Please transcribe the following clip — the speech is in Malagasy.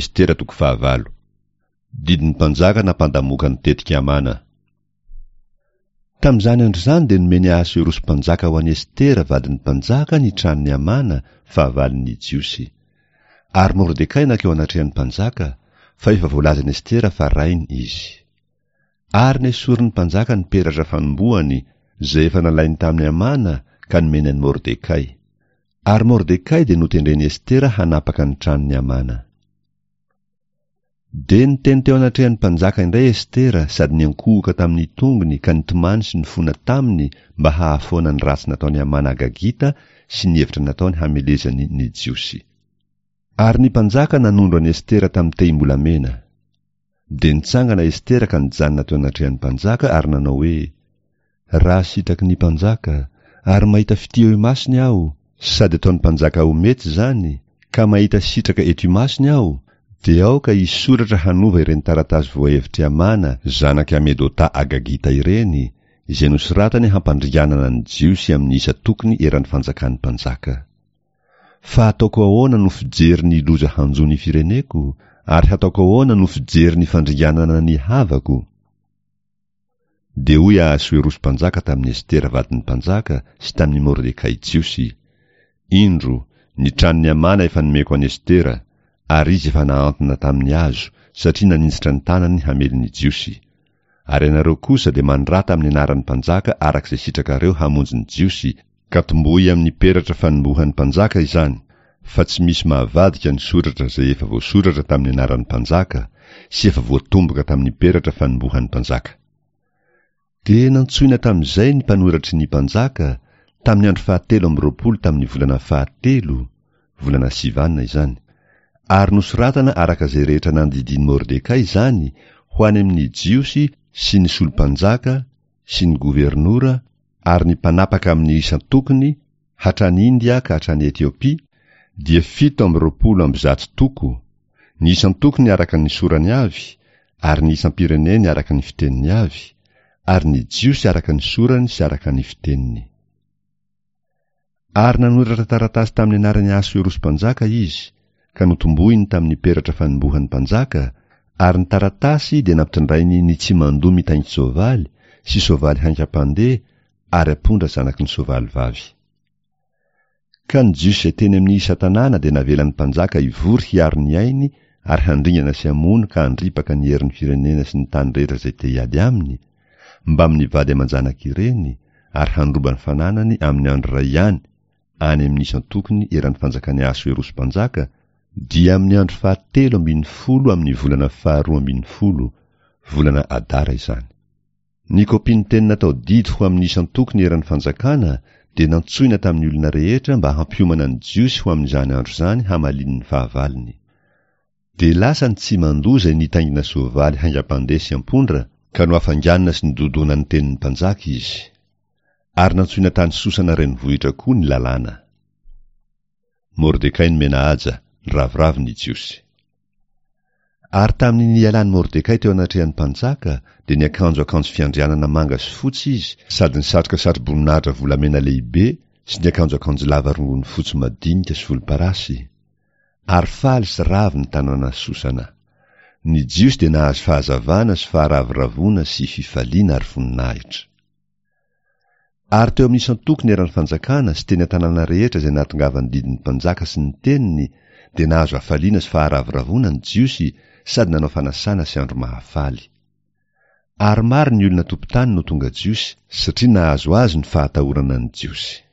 Estera toko fahavalo. Didin'ny mpanjaka nampandamoka ny tetik'i Hamana. Tamin'izany andro izany dia nomen'i Ahasoerosy mpanjaka ho an'i Estera vadin'ny mpanjaka ny tranon'i Hamana, fahavalon'ny Jiosy. Ary Mordekay nankeo anatrehan'ny mpanjaka, fa efa voalazan'i Estera fa rainy izy. Ary nesorin'ny mpanjaka ny peratra fanombohany, izay efa nalainy tamin'i Hamana, ka nomeny an'i Mordekay. Ary Mordekay dia notendren'i Estera hanapaka ny tranon'i Hamana. Dia niteny teo anatrehan'ny mpanjaka indray Estera sady niankohoka tamin'ny tongony ka nitomany sy nifona taminy mba hahafoana ny ratsy nataon'i Hamana Agagita sy ny hevitra nataony hamelezany ny Jiosy. Ary ny mpanjaka nanondro an'i Estera tamin'ny tehim-bolamena. Dia nitsangana Estera ka nijanona teo anatrehan'ny mpanjaka ary nanao hoe, Raha sitraky ny mpanjaka, ary mahita fitia eo imasony aho, sady ataon'ny mpanjaka ho mety izany, ka mahita sitraka eto imasony aho, dia aoka hisoratra hanova ireny taratasy voahevitr'i Hamana zanak'i Hamedota Agagita ireny, izay nosoratany hampandringanana ny Jiosy amin'ny isa tokony eran'ny fanjakan'ny mpanjaka. Fa hataoko ahoana no fijery ny loza hanjo ny fireneko, ary hataoko ahoana no fijery ny fandringanana ny havako? Dia hoy Ahasoerosy mpanjaka tamin'i Estera vadin'ny mpanjaka sy tamin'i Mordekay Jiosy, Indro, ny tranon'i Hamana efa nomeko an'i Estera, ary izy efa nahantona tamin'ny hazo, satria naninjitra ny tanany hamely ny Jiosy. Ary ianareo kosa dia manorata amin'ny anaran'ny mpanjaka araka izay sitrakareo hamonjy ny Jiosy, Ka tomboy amin'ny peratra fanombohan'ny mpanjaka izany, fa tsy misy mahavadika ny soratra izay efa voasoratra tamin'ny anaran'ny mpanjaka sy efa voatomboka tamin'ny peratra fanombohan'ny mpanjaka. Dia nantsoina tamin'izay ny mpanoratry ny mpanjaka, tamin'ny andro fahatelo amby 20 tamin'ny volana fahatelo, volana Sivana izany, ary nosoratana araka izay rehetra nandidian'i Mordekay izany ho any amin'ny Jiosy sy ny solo-mpanjaka sy ny governora ary ny mpanapaka amin' ny isan-tokony, hatrany India ka hatrany Etiopia, dia 127 toko, ny isan-tokony araka ny sorany avy, ary ny isam-pireneny araka ny fiteniny avy, ary ny Jiosy araka ny sorany sy araka ny fiteniny. Ary nanoratra taratasy tamin'ny anaran'i Ahasoerosy mpanjaka izy, ka notombohiny tamin'ny peratra fanombohan'ny mpanjaka, ary ny taratasy dia nampitondrainy ny tsimandoa mitaingin-tsoavaly sy soavaly haingam-pandeha ary ampondra zanaky ny soavaly vavy. Ka ny Jiosy izay teny amin'ny isan-tanàna dia navelan'ny mpanjaka hivory hiaro ny ainy ary handringana sy hamono ka handripaka ny herin'ny firenena sy ny tany rehetra izay te-hiady aminy, mbamin'ny vady aman-janak'ireny, ary handroba ny fananany amin'ny andro iray ihany, any amin'ny isan-tokony eran'ny fanjakan'i Ahasoerosy mpanjaka, dia amin'ny andro fahatelo ambin'ny folo amin'ny volana faharoa ambin'ny folo, volana Adara izany. Ny kopian'ny teny natao didy ho amin'ny isan-tokony eran'ny fanjakana dia nantsoina tamin'ny olona rehetra mba hampiomana ny Jiosy ho amin'izany andro izany hamaliany ny fahavalony. Dia lasa ny tsimandoa izay nitaingina soavaly haingam-pandeha sy ampondra, ka nohafainganina sy nododona ny tenin'ny mpanjaka izy. Ary nantsoina tany Sosana renivohitra koa ny lalàna. Mordekay nomena haja, niraviravy ny Jiosy. Ary tamin'ny nialan'i Mordekay teo anatrehan'ny mpanjaka, dia niakanjo akanjo fiandrianana manga sy fotsy izy, sady nisatroka satroboninahitra volamena lehibe sy niakanjo akanjo lava rongony fotsy madinika sy volomparasy. Ary faly sy ravo ny tanàna Sosana. Ny Jiosy dia nahazo fahazavana sy faharavoravoana sy fifaliana ary voninahitra. Ary teo amin'ny isan-tokony eran'ny fanjakana sy teny an-tanàna rehetra izay nahatongavan'ny didin'ny mpanjaka sy ny teniny dia nahazo hafaliana sy faharavoravoana ny Jiosy sady nanao fanasana sy andro mahafaly. Ary maro ny olona tompon-tany no tonga Jiosy satria nahazo azy ny fahatahorana ny Jiosy.